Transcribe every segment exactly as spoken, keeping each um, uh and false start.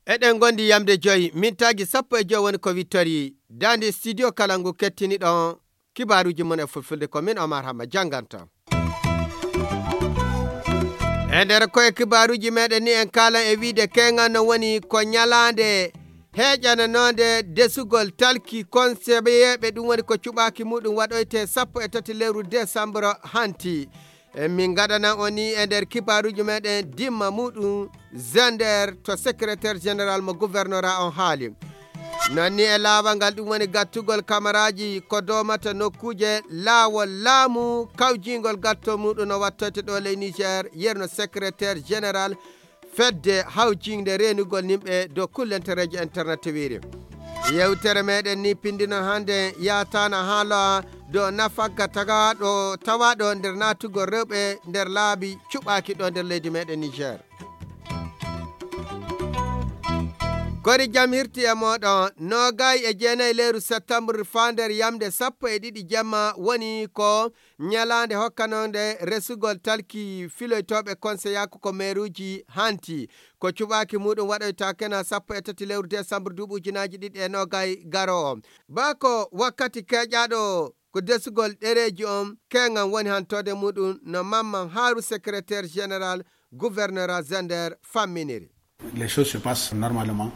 Eɗen ngondi yamde joyi, mintaaji sappo e joyi woni ko wittori. Daande studio kala ngu kettiniɗon kibaaruuji mon e fulfulde, ko min Omar Hamma jannganta. E nder koye kibaaruuji meɗen ni en kaalan e wiide keŋal no woni ko ñalaande heeƴananoonde desugol talki konseyeeɓe, ɗum woni ko cuɓaaki muɗum waɗoyte sappo e tati lewru desambro hanti. E min ngaɗana on ni e nder kibaaruuji meɗen dimma muɗum Zender to secrétaire général mo gouvernorat on haali. Non ni e laawol ngal ɗum woni gattugol kamaraaji ko doomata nokkuuje laawol laamu kawjingol gatto muɗum no wattoyte ɗo ley Niger, yerno secrétaire général fedde hawjinde reenugol nimɓe dow kullentereeji internet wiiri. Yewtere meɗen ni pinndino hannde yaataana haala dow nafagga tagaaɗo tawaaɗo nder naatugol rewɓe nder laabi cuɓaaki ɗo nder leydi meɗen Niger. Kori jam hirti e mooɗon, noogay e jeenayi lewru septembre faa nder yamde sappo e ɗiɗi jamma woni ko ñalaande hokkanoonde resugol talki filoytooɓe konseyaaku ko meeruuji hanti. Ko cuɓaaki muɗum waɗoyta kena sappo e tati lewru desambro duuɓi ujunaaji ɗiɗi e noogay garoowo. Baa ko wakkati keƴaaɗo ko desugol ɗereeji on, keŋan woni hantoode muɗum no Mamman Haaru, secrétaire général gouvernorat Zender, famminiri. Les choses se passent normalement.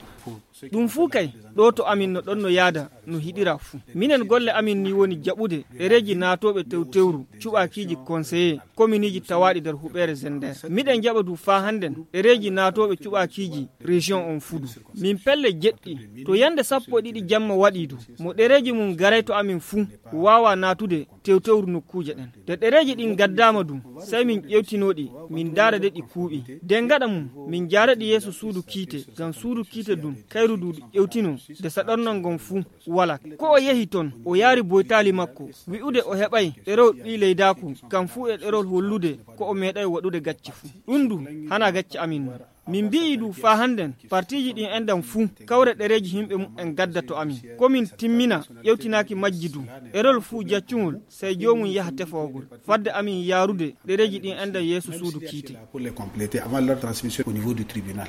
Ɗum fuu kay, ɗo to amin no ɗon no yaada no hiɗira fuu. Minen golle amin ni woni jaɓude ɗereeji naatooɓe tewtewru cuɓaakiiji konseye kominiiji tawaaɗi nder huɓeere Zender. Miɗen jaɓa du faa hannden ɗereeji naatooɓe cuɓaakiiji région on fuu du. Min pelle jeɗɗi, to yande sappo e ɗiɗi jamma waɗi du, mo ɗereeji mum garay to amin fuu, waawa naatude tewtewru nokkuuje ɗen. Nde ɗereeji ɗin gaddaama du, sey min ƴewtino ɗi, min ndaara de ɗi kuuɓi. Nde gaɗa mum, min njaara ɗi yeeso suudu kiite, ngam suudu kiite dun, kayru du ƴewtino, nde saɗornal ngon fuu walaa. Ko o yehi ton, o yaari boytaali makko, wi'ude o heɓay ɗerewol ɓii leydaaku, kam fuu e ɗerewol hollude ko o meeɗay waɗude gacce fuu. Ɗum du, hanaa gacce amin non. Min mbi'ii du faa hannden, partiiji ɗin enɗan fuu, kawre ɗereeji himɓe muɓɓen gadda to amin. Ko min timmina ƴewtinaaki majji du, ɗerewol fuu jaccungol, sey joomum yaha tefowagol. Fadde amin yaarude ɗereeji ɗin enɗan yeeso suudu kiite. Pour les compléter avant leur transmission au niveau du tribunal.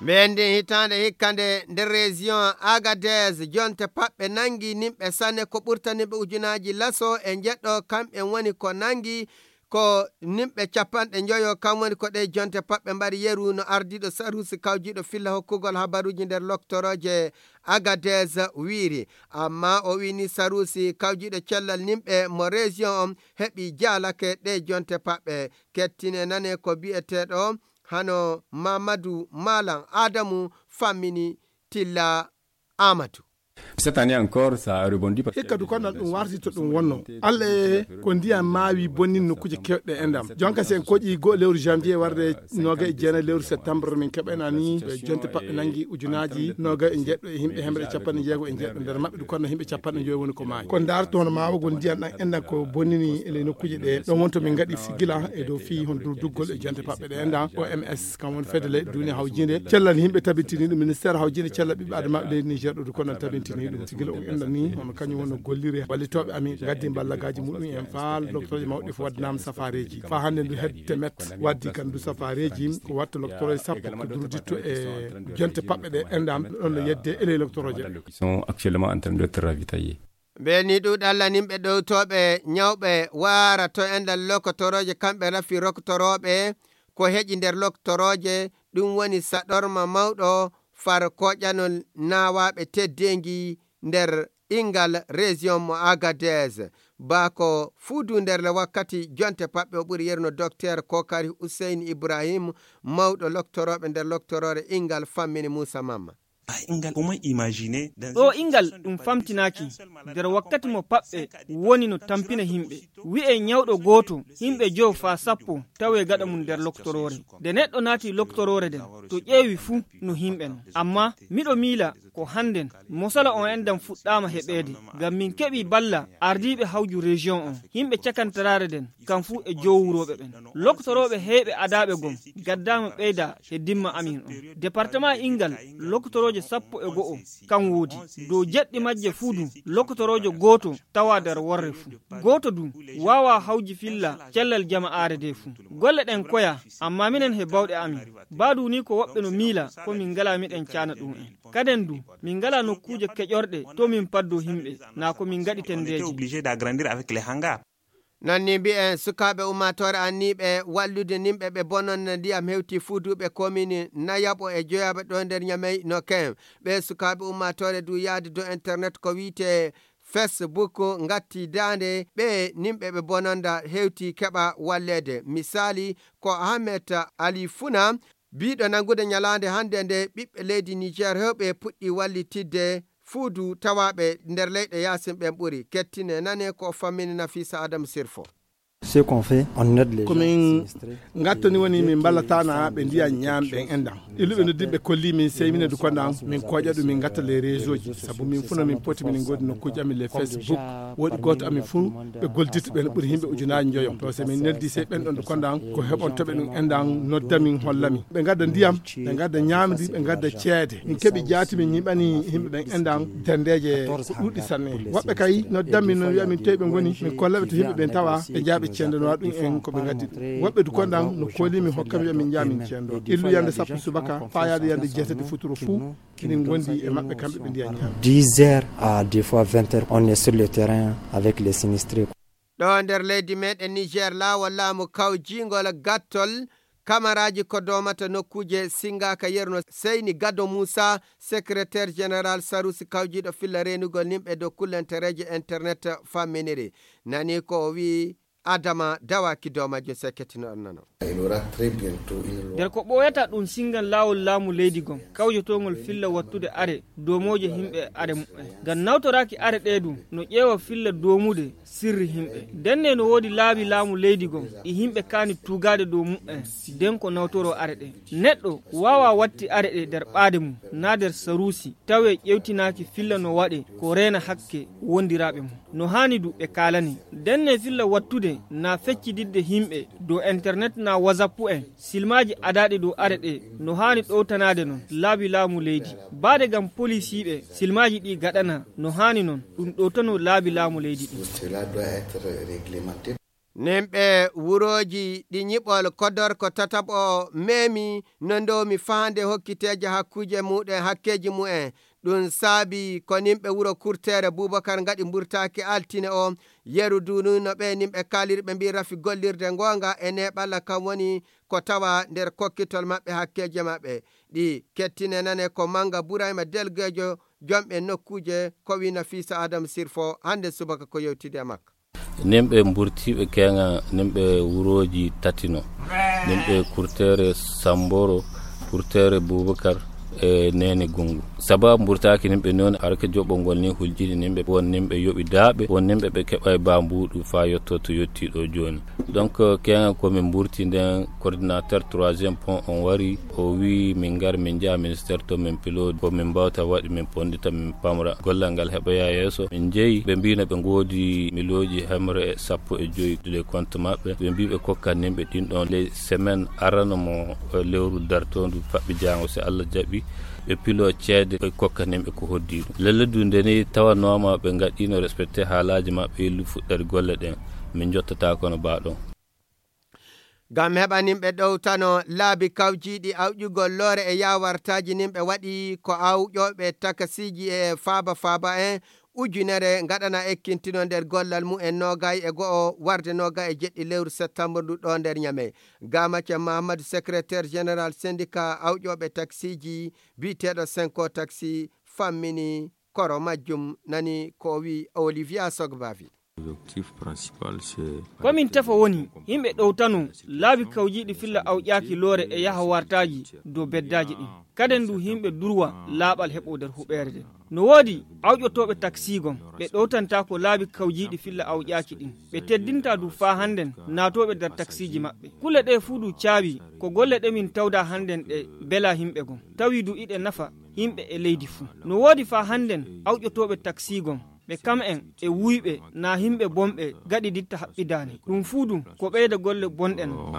Mbendi hitaande hikka nde nder région Agadez, jonte paɓɓe nangi nimɓe sanne ko ɓurtaniɓe ujunaaji laso e njeɗɗo, kamɓe woni ko nangi ko nimɓe capanɗe njoyo, kam woni ko ɗe jonte paɓɓe mbaɗi yeru no ardiiɗo saruusi kawjiiɗo filla hokkugol habaruuji nder loktorooje Agadez wiiri. Amma o wiini saruusi kawjiiɗo cellal nimɓe mo région on heɓi jaalake ɗe jonte paɓɓe. Kettine nane ko bi'eteeɗo hano Mamadu Malam Adamu fammini Tilla Amadu. Cette année encore, ça a rebondi parce que hikka du kono ɗum warti to ɗum wonno. Alla e ko ndiyam maawi bonni nokkuuje kewɗe e ndam. Jonka si en koƴi go lewru janvier warde noga e jeena lewru septembre min keɓanani jonte paɓɓe nangi ujunaaji noga e jeɗɗo e himɓe hemre e capanɗe jeego e jeɗɗo nder maɓɓe du kono himɓe capanɗe joyi woni ko maayi. Ko ndaarto hono maawagol ndiyam ɗan enɗan ko bonnini e ley nokkuuje ɗe. Ɗon wonto min ngaɗi sigila e dow fii hon durduggol e jonte paɓɓe ɗe enɗan. O M S kam woni fedde leyɗe duniya hawjinde cellal himɓe tabitini ɗum ministère hawjinde cellal ɓiɓɓe adama leydi Niger ɗo du kono tabitini ɗum. Sigila on enɗan ni hono kañum woni gollire ballitooɓe amin gaddi ballagaaji muɗum en faa docteur mawɗi fof waddanaama safaareeji. Faa hannde ndu hedde met waddi kan ndu safaareeji ko watta docteur sappo ko durditta e jonte paɓɓe ɗe enɗam ɗon no yedde e ley docteur. Ils sont actuellement en train d'être ravitaillés. Mbeni ɗuuɗalla nimɓe ɗowtooɓe ñawɓe waara to enɗan lokotorooje kamɓe rafi roktorooɓe ko heƴi nder loktorooje, ɗum woni saɗorma mawɗo far koƴanol naawaaɓe teddeengi nder ingal région mo Agadez. Bako fuudu nder le wakkati jonte paɓɓe o ɓuri yerno docteur Kokari Hussein Ibrahim, mawɗo loktorooɓe nder loktoroore ingal fammini Moussa Mamma. O ingal ɗum famtinaaki nder wakkati mo paɓɓe woni no tampina himɓe. Wi'e ñawɗo gooto, himɓe jowo faa sappo tawe gaɗa mum nder loktoroore. Nde neɗɗo naati loktoroore nden, to ƴeewi fuu no himɓe non. Amma miɗo miila Ko hannden, mosala on enɗam fuɗɗaama heɓeede, ngam min keɓii balla ardiiɓe hawju région on, yimɓe cakantaraare nden, kam fuu e jowuurooɓe ɓen. Loktorooɓe heyɓe adaaɓe gom, gaddaama ɓeyda he dimma amin on. Département inngal, loktorooje sappo e go'o, kam woodi. Dow jeɗɗi majje fuu du, loktoroojo gooto tawa nder worre fuu. Gooto du, waawa hawji filla cellal jama'aare de fuu. Golle ɗen koya, amma minen he bawɗe amin. Baa du ni ko woɓɓe no miila, ko min ngala miɗen caana ɗum en. Kaden du, min ngala nokkuuje keƴorɗe to min paddo himɓe, na ko min ngaɗi tendeeje. Obligé d'agrandir avec les hangars. Non ni mbi'en sukaaɓe ummaatoore anniiɓe wallude nimɓe ɓe bononno ndiyam hewti fuuduɓe komini nayaɓo e joyaɓe ɗo nder Ñamey no ken. Ɓe sukaaɓe ummaatoore du yaade dow internet ko wi'ete Facebook ngatti daande ɓe nimɓe ɓe bononda hewti keɓa walleede. Misaali ko Ahmed Ali Funa, biiɗo nanngude ñalaande hannde nde ɓiɓɓe leydi Niger heewɓe puɗɗi wallitidde fuudu tawaaɓe nder leyɗe yaasin ɓen ɓuri. Kettine nane ko o fammini Nafisa Adam Sirfo. Ce qu'on fait, on aide les gens sinistrés. Ko min ngattani woni min mballataana ɓe ndiya ñaam ɓen enɗam. Illuɓe noddiɓe kolli min sey minen du konɗan min koƴa ɗum min ngatta les réseau ji. Sabu min fuu no min poti minen ngoodi nokkuuji amin les Facebook. Woɗi gooto amin fuu ɓe goldirta ɓen ɓuri yimɓe ujunaaji njoyo. To se min neldi sey ɓen ɗon du konɗan ko heɓontoɓe ɗum enɗam nodda min holla min. Ɓe ngadda ndiyam, ɓe ngadda ñaamri, ɓe ngadda ceede. Min keɓi jaati min ñiɓani yimɓe ɓen enɗam dendeeje ko ɗuuɗi sanne. Woɓɓe kay noddan min no wi'a min toy ɓe ngoni, min kolla ɓe to yimɓe ɓen tawa ɓe jaaɓe cendanowa ɗum en ko ɓe ngaddi ɗum. Woɓɓe du konɗan no kooli min hokka mi wi'a min jaa min cendo. Illu yande sappo subaka faa yaade yande jeetati futuro fuu. Kinin gondi e maɓɓe kamɓe ɓe ndiya ñaam. Dix heures à des fois vingt heures, on est sur le terrain avec les sinistrés. Ɗo nder leydi meɗen Niger, laawol laamu kawjingol gattol kamaraaji ko doomata nokkuuje singaaka yeru no Seyni Gado Muusa, secrétaire général Sarusi kawjiiɗo filla reenugol nimɓe dow kullantereeje internet famminiri. Nani ko o wi'i Adama Dawaki Doomajo seketino on nano. Nder ko ɓooyata ɗum singan laawol laamu leydi gon, kawjotoongol filla wattude are doomooje himɓe are muɓɓen. Ngam nawtoraaki are ɗee ɗum no ƴeewa filla doomude sirri himɓe. Ndenne no woodi laabi laamu leydi gon ɗi himɓe kaani tuugaade dow muɓɓen, nden ko nawtoroo are ɗee. Neɗɗo waawaa watti are ɗee nder ɓaade mum, naa nder saruusi, tawee ƴeewtinaaki filla no waɗee ko reena hakke wondiraaɓe mum. No haani du ɓe kaalani. Ndenne filla wattude naa feccididde himɓe dow internet naa WhatsApp en, silmaaji adaaɗi dow are ɗee no haani ɗowtanaade non laabi laamu leydi. Baade ngam polisiiɓe silmaaji ɗi gaɗana no haani non ɗum ɗowtano laabi laamu leydi ɗi. Cela doit être réglementé. Nimɓe wurooji ɗi ñiɓol kodorko tataɓo meemi no ndoomi faande hokkiteeje hakkuuje muɗen hakkeeji mu'en. Ɗum saabi ko nimɓe wuro Kurteere Bubakar ngaɗi mburtaaki altine o. Yeru duununo ɓe nimɓe kaaliri ɓe mbii rafi gollirde ngoonga e neeɓalla kam woni ko tawa nder kokkitol maɓɓe hakkeeje maɓɓe. Ɗi kettine nane ko Mannga Burayma Delgeejo jomɓe nokkuuje ko wii Nafiisa Adam Sirfo hannde subaka ko yewtidi e makko. Nimɓe mburtiiɓe keeŋa, nimɓe wurooji tati no, nimɓe Kurteere Sammboro, Kurteere Buubakar e Neene Gunngu. Sabaabu mburtaaki nimɓe noon, harke joɓɓol ngol ni huljiini nimɓe, won nimɓe yoɓi daaɓe, won nimɓe ɓe keɓay baa mbuuɗu faa yottoo to yottii ɗo jooni. Donc, keeŋa ko min mburti nden, coordinateur troisième pont on wari, o wii min ngar min njaha ministère to min pilo ko min mbaawta waɗi min ponndita min pamra gollal ngal heɓoya yeeso. Min njehi ɓe mbii no ɓe ngoodi milooji hemre e sappo e joyi de compte maɓɓe. Ɓe mbii ɓe kokkat nimɓe ɗin ɗon ley semaine arano mo, eh, lewru dartoondu faɓɓi jaango si Allah jaɓi. Ɓe pilo ceede ɓe kokkat nimɓe ko hoddi ɗum. Lelle du nde ni tawanooma ɓe ngaɗino respecté haalaaji maɓɓe illu fuɗɗari golle ɗen. Min njottata kono baa ɗon. Ngam heɓa nimɓe ɗowtano laabi kawjiiɗi awƴugol loore e yaawartaaji nimɓe waɗi ko awƴooɓe takasiiji e faaba faaba en ujunere ngaɗana ekkintino nder gollal mumen noogay e go'o warde noogay e jeɗɗi lewru septembre ndu ɗo nder Ñamey. Gamace Mahamadou, secrétaire général syndicat awƴooɓe taksiiji biyeteeɗo Senko Taxi fammini koro majjum nani ko o wi'i Olivia Sogbavi. Ko min tefa woni yimɓe ɗowtano laabi kawjiiɗi filla awƴaaki loore e yaha wartaaji dow beddaaji ɗin. Kaden du yimɓe durwa laaɓal heɓo nder huɓeere nden. No woodi awƴotooɓe taksiigon ɓe ɗowtantaako laabi kawjiiɗi filla awƴaaki ɗin. Ɓe teddinta du faa hannden naatooɓe nder taksiiji maɓɓe. Kulle ɗee fuu du caawi ko golle ɗe min tawda hannden ɗe bela yimɓe gon. Tawi du iɗe nafa. yimɓe e leydi fuu. No woodi faa hannden awƴotooɓe taksiigon, ɓe kam'en e wuyɓe naa yimɓe bonɓe gaɗiditta haɓɓidaani. Ɗum fuu ɗum ko ɓeyda golle bonɗe non.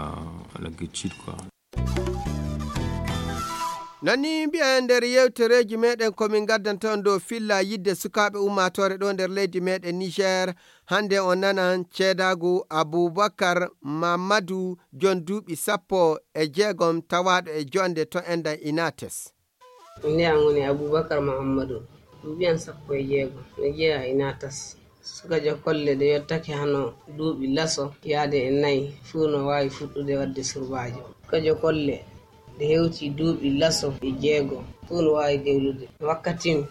Non ni mbiyen nder yewtereeji meɗen ko min ngaddanta on dow filla yidde sukaaɓe ummaatoore ɗo nder leydi meɗen Niger. Hannde on nanan ceedaagu Abubakar Mamadu, jon duuɓi sappo e jeegom, tawaaɗo e jonde to enɗan Inates. Nde an woni Abubakar Muhammadu, duuɓi an sappo e jeego, no jeyaa e natas. Sukajo kolle ɗe yottake hano duuɓi laso yaade e nayi fuu no waawi fuɗɗude waɗde surbaajo. Sukajo kolle ɗe hewti duuɓi laso e jeego fuu no waawi dewlude. Wakkati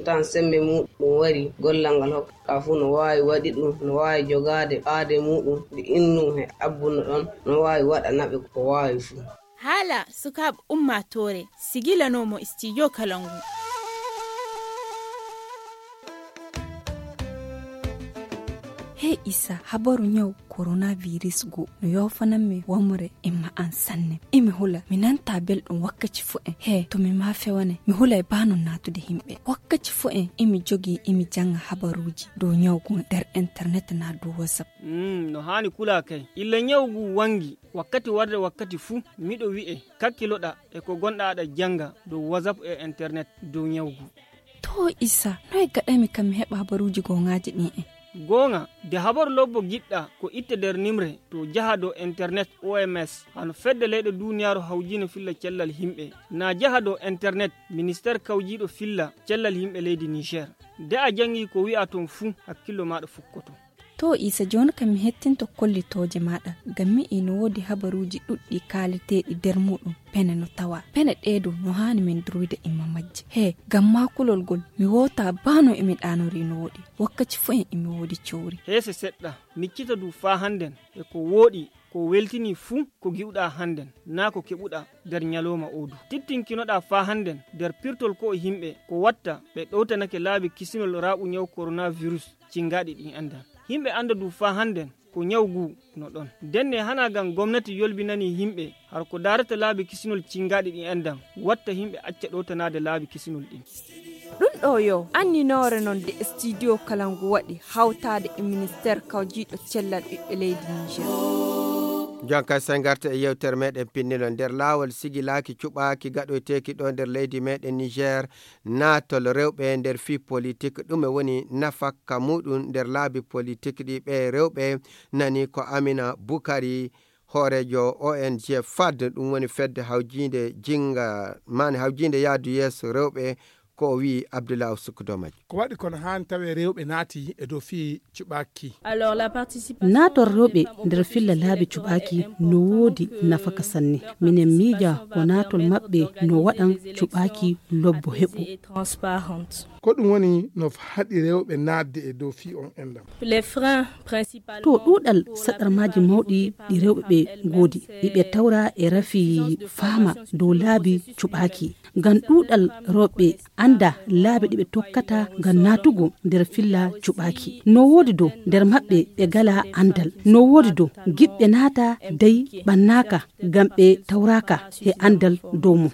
tan sembe muuɗum wari gollal ngal hokka fuu no waawi waɗi ɗum, no waawi jogaade ɓaade muuɗum nde innum he abbuno ɗon, no waawi waɗana ɓe ko waawi fuu. Haala sukaaɓe ummaatoore sigilanoomo studio kala ngu. Hey Isa, habaru ñaw coronavirus go no yoofanammi wamre e ma'an sanne. Imi hula mi nanta belɗum wakkaci fo'en. He to mi ma fewane mi hulay bano natude himɓe. Wakkaci fo'en imi jogi imi janga habaruji dow ñaw go nder internet na dow whatsapp. Mm, no haani kulaa kay. Illa ñaw gu wangi wakkati warde wakkati fuu miɗo wi'e kakkiloɗa e ko gonɗa aɗa jannga dow whatsapp e internet dow ñawgu. To isa noy gaɗaymi kam mi heɓa habaruuji gooŋaaji ɗin en? Gooŋa de habaru lobbo giɗɗa ko itte nder nimre to jaha dow internet oms hano fedde leyɗe duuniyaaru hawjiino filla cellal yimɓe na jaha dow internet ministeer kawjiiɗo filla cellal yimɓe leydi niger. De a janngi ko wi'a ton fuu hakkillo maaɗa fukkoto. To isa jooni kam mi hettinto kollitooje maaɗa ngam mi'i no woodi habaruuji ɗuɗɗi kaaleteeɗi nder muuɗum pene no tawa pene ɗee dow no haani min durwida imma majje he ngam maa kulol ngol mi woota baa no emi ɗaanori no woɗi wakkaci fuu en emi woodi cowri. Heese seɗɗa miccita du faa hannden e ko wooɗi ko weltini fuu ko gi'uɗaa hannden naa ko keɓuɗaa nder ñalooma oo du tittinkinoɗaa faa hannden nder pirtol ko'o yimɓe ko watta ɓe ɗowtanake laabi kisinol raaɓu ñaw koronavirus cinngaaɗi ɗin enɗan. Yimɓe annda du faa hannden ko ñaw guu no ɗon. Ndenne hanaa ngam gomnati yolbinanii yimɓe har ko daarata laabi kisinol cinngaaɗi ɗin enɗan watta yimɓe acca ɗowtanaade laabi kisinol ɗin. Ɗum ɗoo yo anninoore non nde studio kala ngu waɗi hawtaade e ministeer kawjiiɗo cellal ɓiɓɓe leydi Niger. Jonkay sen ngarta e yewtere meɗen pinnilo nder laawol sigilaaki cuɓaaki gaɗoyteeki ɗo nder leydi meɗen Niger naatol rewɓe nder fii politik ɗume woni nafakka muɗum nder laabi politik ɗi ɓe rewɓe nani ko Amina Bukari hooreejo O N G fad ɗum woni fedde hawjiinde jinga maani hawjiinde yaadu yeeso rewɓe ko o wi'i Abdullah Usuk Domaj. Ko waɗi kono haani tawee rewɓe naati e dow fii cuɓaaki. Naator rewɓe nder filla laabi cuɓaaki no woodi nafaka sanne. Minen miija ko naatol maɓɓe no waɗan cuɓaaki lobbo heɓu. Ko ɗum woni no haɗi rewɓe naatde e dow fii on enɗam. To ɗuuɗal saɗarmaaji mawɗi ɗi rewɓe ɓe ngoodi iɓe tawra e rafi faama dow laabi cuɓaaki. Ngam ɗuuɗal rewɓe annda laabi ɗi ɓe tokkata ngam naatugo nder filla cuɓaaki. No woodi dow nder maɓɓe ɓe ngalaa anndal. No woodi dow giɗɓe naata dey ɓannaaka ngam ɓe tawraaka he anndal dow mum.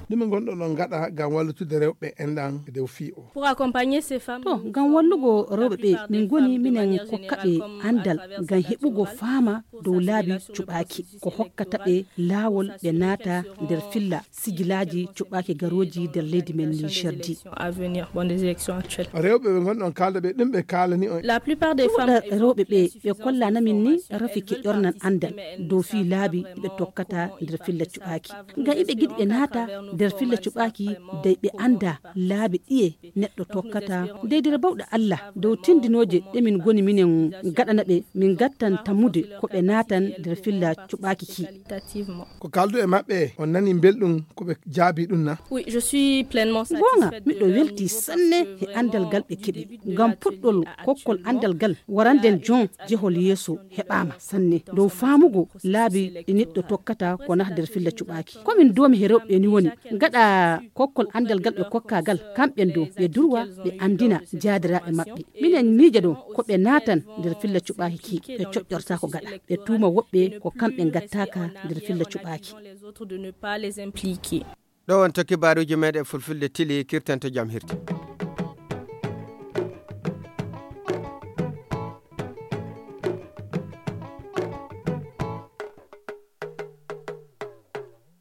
Ɗume ngonɗon on ngaɗa ngam wallutude rewɓe enɗan e dow fii o? To ngam wallugo rewɓe ɓe min ngoni minen kokkaɓe anndal ngam heɓugo faama dow laabi cuɓaaki ko hokkata ɓe laawol ɓe naata nder filla sigilaaji cuɓaaki garooji nder leydi men Niger di. Rewɓe ɓe ngonɗon kaalda ɓe ɗum ɓe kaalani on. Ɗuuɗal rewɓe ɓe ɓe kollana min ni rafi keƴornan anndal dow fii laabi ɓe tokkata nder filla cuɓaaki. Ngam iɓe giɗi ɓe naata nder filla cuɓaaki dey ɓe annda laabi ɗiye neɗɗo tokkata. Dey nder bawɗe Allah dow tindinooje ɗe min ngoni minen gaɗana ɓe min ngattan tammude ko ɓe naatan nder filla cuɓaaki ki. Ko kaaldu e maɓɓe on nani belɗum ko ɓe jaabi ɗum na? Goonga miɗo welti sanne he anndal ngal ɓe keɓi ngam puɗɗol kokkol anndal ngal waranden jon jehol yeeso heɓaama sanne dow faamugo laabi ɗi neɗɗo tokkata ko naata nder filla cuɓaaki. Ko min doomi he rewɓe ni woni gaɗa kokkol anndal ngal ɓe kokkaa ngal kamɓen dow ɓe durwa ɓe anndina jaadiraaɓe maɓɓe. Minen miija dow ko ɓe naatan nder filla cuɓaaki ki ɓe coƴƴortaako gaɗa ɓe tuuma woɓɓe ko kamɓe ngattaaka nder filla cuɓaaki. Ɗo wonto kibaaruuji meeɗen fulfulde tili, kirtanto jam hirti.